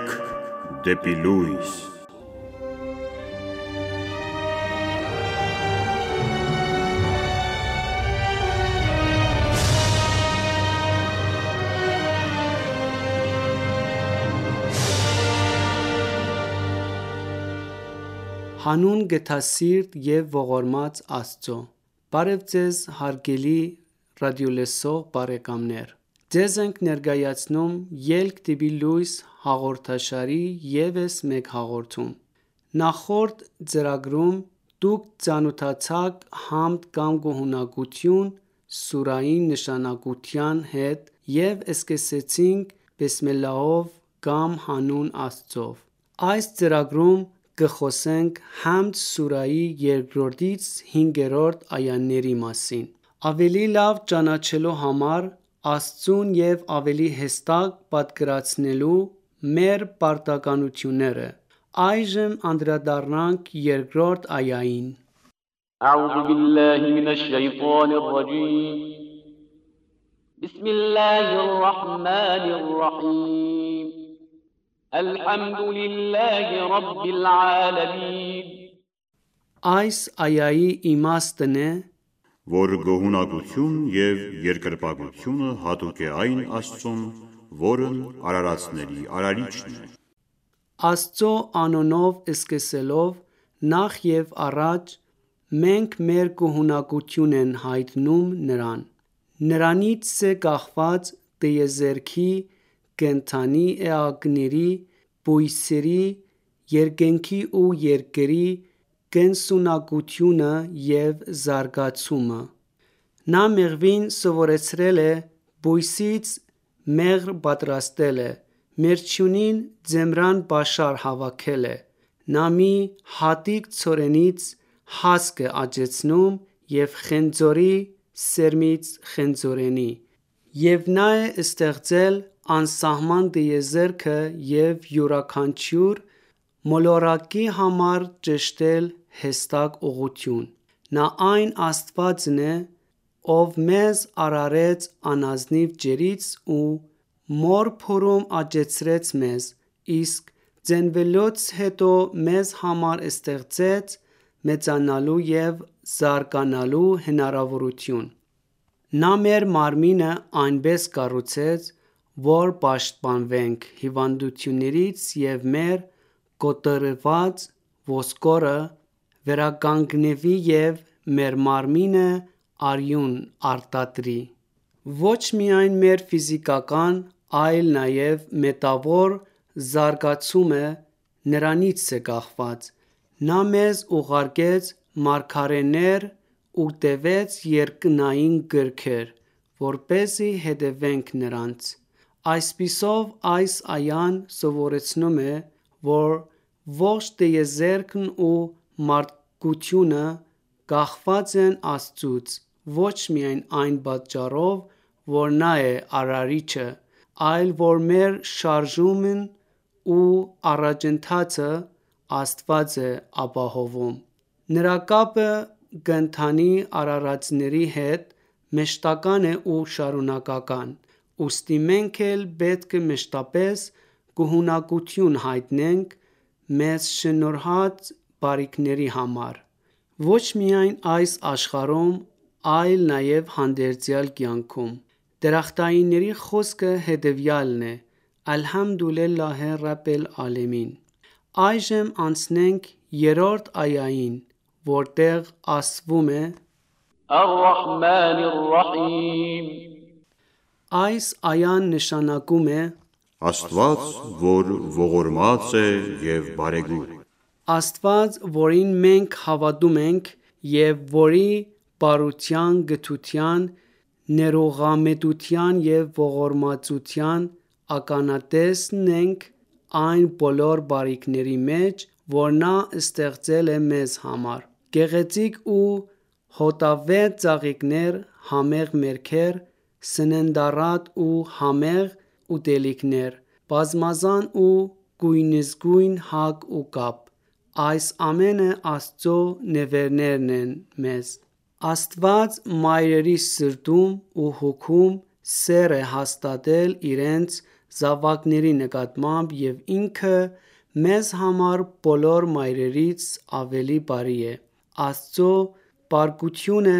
Շարք դեպի լույս։ Հանուն գթասիրտ և ողորմած Աստծո: Բարև Ձեզ հարգելի ռադիոլսող բարեկամներ: Ձեզ ենք ներկայացնում «Ելք դեպի լույս» հաղորդաշարի ևս մեկ հաղորդում: Նախորդ ծրագրում դուք ծանոթացաք համդ կամ գոհունակություն սուրայի նշանակության հետ և սկսեցինք բիսմիլլահով կամ հանուն Աստծով: Այս ծրագրում կխոսենք Համդ սուրայի 2-ից 5-րդ այաների մասին: Ավելի լավ ճանաչելու համար Աստծուն և ավելի հստակ պատկերացնելու մեր պարտականությունները, այժմ անդրադառնանք 2-րդ այային: أعوذ بالله من الشيطان الرجيم بسم الله الرحمن الرحيم الحمد لله رب العالمين Այս այայի իմաստն է, որ գոհունակություն և երկրպագությունը հատուկ է այն Աստծուն, որն արարածների արարիչն է: Աստծո անունով սկսելով, նախ և առաջ մենք մեր գոհունակություն ենք հայտնում Նրան: Նրանից է կախված տիեզերքի, կենդանի էակների, բույսերի, երկնքի ու երկրի կենսունակությունը և զարգացումը: Նա մեղվին սովորեցրել է, բույսից մեղր պատրաստել է, մերջյունին ձմռան պաշար հավաքել է: Նա մի հատիկ ցորենից հասկ է աճեցնում և խնձորի սերմից խնձորենի: Եվ նա է ստեղծել անսահման տիեզերքը և յուրաքանչյուր մոլորակի համար ճշտել հստակ ուղղություն: Նա այն Աստվածն է, ով մեզ արարեց անազնիվ ջրից ու մոր փորում աճեցրեց մեզ, իսկ ծնվելուց հետո մեզ համար ստեղծեց մեծանալու և զարգանալու հնարավորություն: Նա մեր մարմինը այնպես կառուցեց, որ պաշտպանվենք հիվանդություններից և մեր կոտրված ոսկորը վերականգնվի և մեր մարմինը արյուն արտադրի: Ոչ միայն մեր ֆիզիկական, այլ նաև մետավոր զարգացումը Նրանից է կախված: Նա մեզ ուղարկեց մարգարեներ ու տվեց երկնային գրքեր, որպեսզի հետևենք նրանց: Այսպիսով այս այան սովորեցնում է, որ ողջ տիեզերքն ու մարդկությունը կախված են Աստծուց ոչ միայն այն պատճառով, որ Նա է արարիչը, այլ որ մեր շարժումն ու առաջընթացը Աստված է ապահովում: Նրա կապը կենդանի արարածների հետ մշտական է ու շարունակական: Ուստի մենք էլ պետք է մշտապես գոհունակություն հայտնենք մեզ շնորհած բարիքների համար: Ոչ միայն այս աշխարհում, այլ նաև հանդերձյալ կյանքում: Դրախտայինների խոսքը հետևյալն է. «Ալհամդուլիլլահի ռաբբիլ ዓալամին»: Այժմ անցնենք 3-րդ այային, որտեղ ասվում է. الرحمن الرحيم Այս այան նշանակում է Աստված, որ ողորմած է և բարեգութ: Աստված, որին մենք հավատում ենք և որի բարության, գթության, ներողամտության և ողորմածության ականատեսն ենք այն բոլոր բարիքների մեջ, որ նա ստեղծել է մեզ համար: Գեղեցիկ ու հոտավետ ծաղիկներ, համեղ մերքեր, սննդառատ ու համեղ ուտելիքներ, բազմազան ու գույնզգույն հագ ու կապ: Այս ամենը Աստծո նվերներն են մեզ: Աստված մայրերի սրտում ու հոգում սեր է հաստատել իրենց զավակների նկատմամբ և ինքը մեզ համար բոլոր մայրերից ավելի բարի է։ Աստծո պարկությունը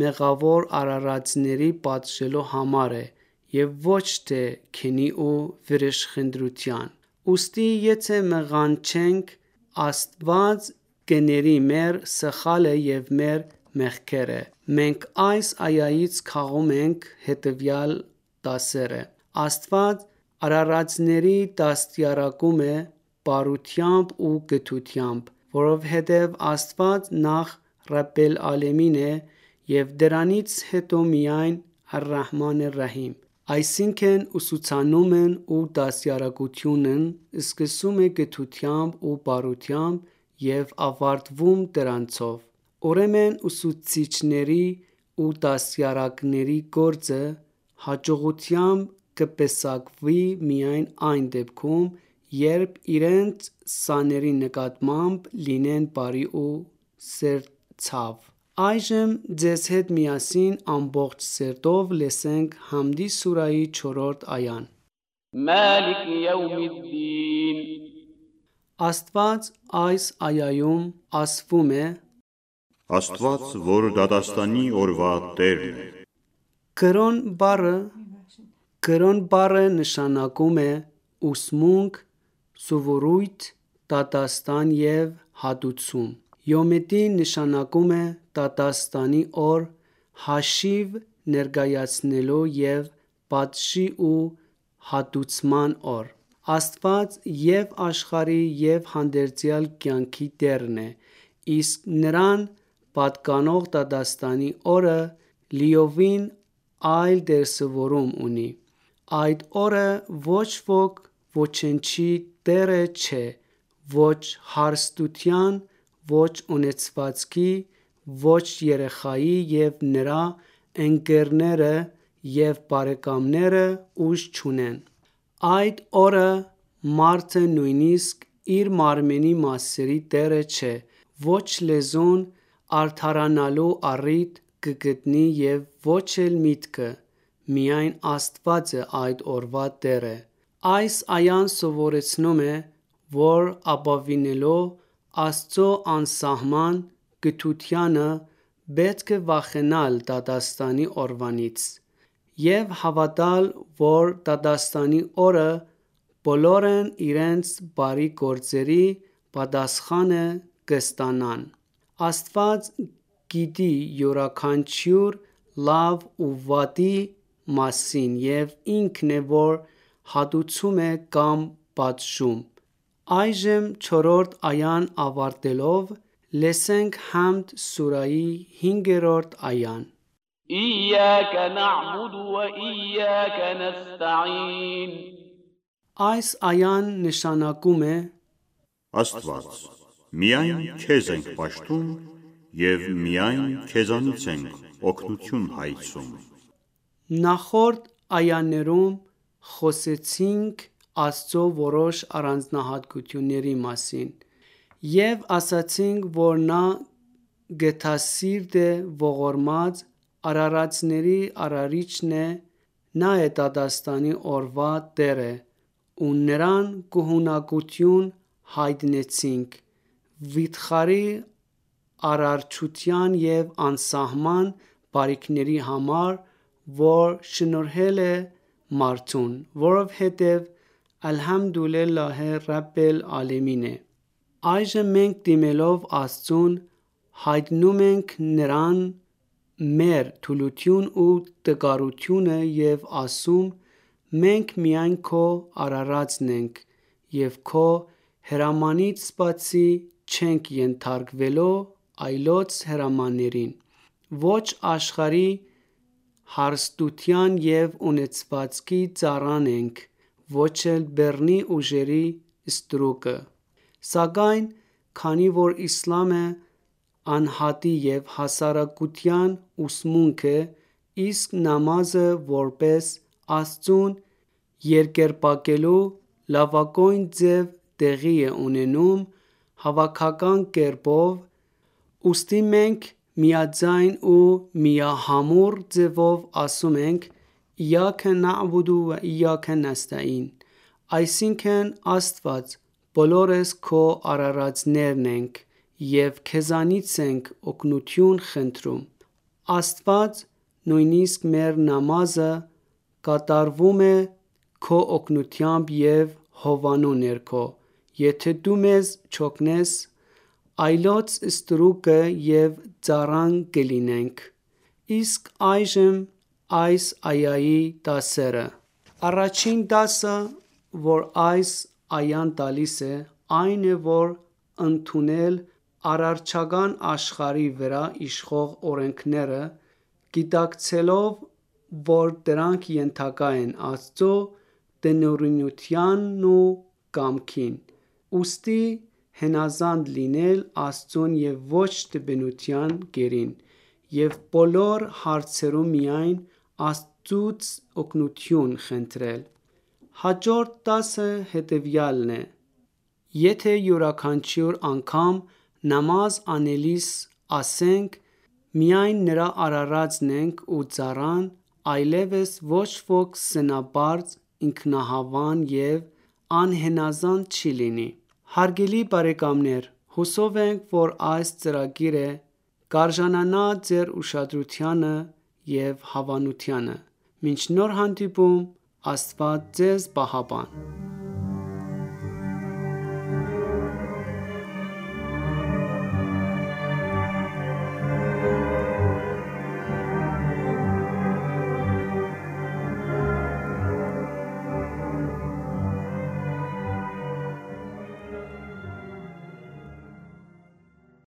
մեղավոր արարածների պատժելու համար է և ոչ թե քինի ու վրեժխնդրության։ Ուստի եթե մեղանչենք, Աստված կների մեր սխալը և մեր մեղքերը։ Մենք այս այայից քաղում ենք հետևյալ դասերը. Աստված արարածների դաստիարակում է բարությամբ ու գթությամբ, որովհետև Աստված նախ Ռաբբ էլ-Ալեմին է և դրանից հետո միայն Ար-Ռահման Ար-Ռահիմ։ Այսինքն ուսուցանումն ու դաստիարակությունն սկսում է գթությամբ ու բարությամբ և ավարտվում դրանցով։ Ուրեմն ուսուցիչների ու դաստիարակների գործը հաջողությամբ կպսակվի միայն այն դեպքում, երբ իրենց սաների նկատմամբ լինեն բարի ու սերտցավ։ Այժմ ձեզ հետ միասին ամբողջ սերտով լսենք Համդի սուրահի 4-րդ այան։ مالك يوم الدين Աստված այս այայում ասվում է. Աստված, որ դատաստանի օրվա Տերն է։ Կրոն բառը նշանակում է ուսմունք, սովորույթ, դատաստան և հատուցում։ Յոմ նշանակում է դատաստանի օր, հաշիվ ներկայացնելու և պատժի ու հատուցման օր։ Աստված և աշխարհի և հանդերձյալ կյանքի տերն է, իսկ նրան պատկանող դատաստանի օրը լիովին այլ դրսևորում ունի։ Այդ օրը ոչ ոք ոչնչի տերը չէ, ոչ հարստության, ոչ ունեցվածքի, ոչ երեխայի և նրա ընկերները և բարեկամները ուժ չունեն։ Այդ օրը մարդը նույնիսկ իր մարմնի մասերի տերը չէ, ոչ լեզուն արդարանալու առիթ կգտնի և ոչ էլ միտքը, միայն Աստված է այդ օրվա տերը։ Այս այան սովորեցնում է, որ ապավինելով Աստծո անսահման գթությանը պետք է վախենալ դատաստանի օրվանից և հավատալ, որ դատաստանի օրը բոլորն իրենց բարի գործերի պատասխանը կստանան։ Աստված գիտի յուրաքանչյուր լավ ու վատի մասին և ինքն է, որ հատուցում է կամ պատժում։ Այժմ 4-րդ այան ավարտելով լսենք Համդ սուրահի 5-րդ այան։ إياك نعبد وإياك نستعين Այս այան նշանակում է. Աստված, միայն քեզ ենք պաշտում և միայն քեզանից ենք օգնություն հայցում։ Նախորդ այաներում խոսեցինք Աստծո որոշ առանձնահատկությունների մասին և ասացինք, որ նա գթասիրտ է, ողորմած, արարածների արարիչն է, նա է դատաստանի օրվա տերը ու նրան գոհունակություն հայտնեցինք վիթխարի արարչության և անսահման բարիքների համար, որ շնորհել է մարդուն, որովհետև Ալհամդուլիլլահ Ռաբբ էլ-Ալեմին է։ Այժմ մենք դիմելով Աստծուն հայտնում ենք նրան մեր թուլություն ու տկարությունը և ասում. մենք միայն քո արարածն ենք և քո հրամանից բացի չենք ենթարկվելու այլոց հրամաններին, ոչ աշխարհի հարստության և ունեցվածքի ծառան ենք, ոչ էլ բեռնի ուժերի ստրուկը։ Սակայն քանի որ իսլամը անհատի և հասարակության ուսմունք է, իսկ նամազը որպես Աստծուն երկրպագելու լավագույն ձև տեղի է ունենում հավաքական կերպով, ուստի մենք միաձայն ու միահամուռ ձևով ասում ենք. Իյաքը նഅբուդու վը իյաքը նստa'ին, այսինքն Աստված բոլորս քո արարածներն ենք և քեզանից ենք օգնություն խնդրում։ Աստված նույնիսկ մեր նամազը կատարվում է քո օգնությամբ և հովանու ներքո, եթե դու մեզ չօգնես, այլոց ստրուկը և ծառան կլինենք։ Իսկ այժմ այս այայի դասերը։ Առաջին դասը, որ այս այան տալիս է, այն է, որ ընդունել արարչական աշխարհի վրա իշխող օրենքները, գիտակցելով, որ դրանք ենթակա են Աստծո տնօրինությանն ու կամքին, ուստի հնազանդ լինել Աստծուն և ոչ թբնության գերին, և բոլոր հարցերում միայն Աստծուց օգնություն խնդրել։ Հաջորդ դասը հետևյալն է. Եթե յուրաքանչյուր անգամ նամազ անելիս ասենք «Միայն Նրա արարածն ենք ու ծառան», այլևս ոչ ոք սնաբարծ, ինքնահավան և անհնազանդ չի լինի։ Հարգելի բարեկամներ, հուսով ենք, որ այս ծրագիրը կարժանանա ձեր ուշադրությանը և հավանությանը։ Մինչ նոր հանդիպում, Աստված ձեզ պահապան։